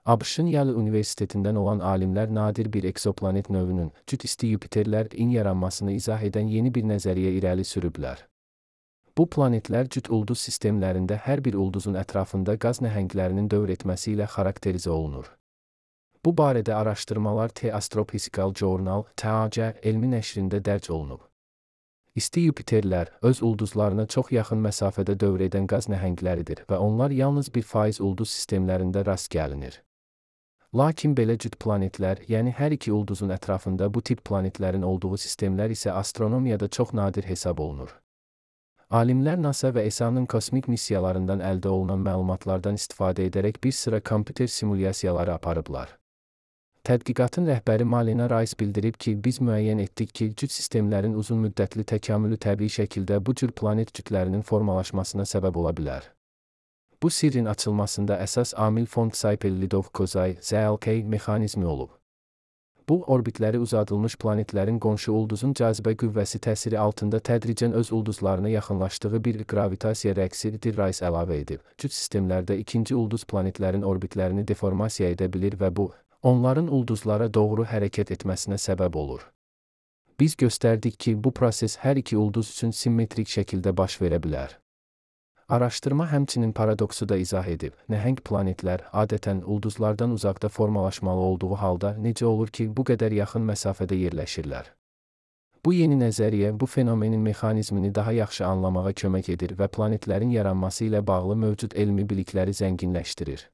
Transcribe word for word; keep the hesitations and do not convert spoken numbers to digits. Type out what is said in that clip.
ABŞ-ın Yale Universitetindən olan alimlər nadir bir eksoplanet növünün, cüt isti Yupiterlərin yaranmasını izah edən yeni bir nəzəriyyə irəli sürüblər. Bu planetlər cüt ulduz sistemlərində hər bir ulduzun ətrafında qaz nəhənglərinin dövr etməsi ilə xarakterizə olunur. Bu barədə araşdırmalar The Astrophysical Journal (T A C) elmi nəşrində dərc olunub. İsti Yupiterlər öz ulduzlarına çox yaxın məsafədə dövr edən qaz nəhəngləridir və onlar yalnız bir faiz ulduz sistemlərində rast gəlinir. Lakin belə cüt planetlər, yəni hər iki ulduzun ətrafında bu tip planetlərin olduğu sistemlər isə astronomiyada çox nadir hesab olunur. Alimlər NASA və E S A-nın kosmik missiyalarından əldə olunan məlumatlardan istifadə edərək bir sıra kompüter simulyasiyaları aparıblar. Tədqiqatın rəhbəri Malina Rice bildirib ki, biz müəyyən etdik ki, cüt sistemlərin uzun müddətli təkamülü təbii şəkildə bu cür planet cütlərinin formalaşmasına səbəb ola bilər. Bu sirrin açılmasında əsas amil fond Saipel-Lidov-Kozay Z L K mexanizmi olub. Bu, orbitləri uzadılmış planetlərin qonşu ulduzun cazibə qüvvəsi təsiri altında tədricən öz ulduzlarına yaxınlaşdığı bir gravitasiya rəqsidir, Rice əlavə edib. Cüt sistemlərdə ikinci ulduz planetlərin orbitlərini deformasiya edə bilir və bu, onların ulduzlara doğru hərəkət etməsinə səbəb olur. Biz göstərdik ki, bu proses hər iki ulduz üçün simmetrik şəkildə baş verə bilər. Araşdırma həmçinin paradoksu da izah edib. Nəhəng planetlər adətən ulduzlardan uzaqda formalaşmalı olduğu halda necə olur ki, bu qədər yaxın məsafədə yerləşirlər? Bu yeni nəzəriyyə bu fenomenin mexanizmini daha yaxşı anlamağa kömək edir və planetlərin yaranması ilə bağlı mövcud elmi bilikləri zənginləşdirir.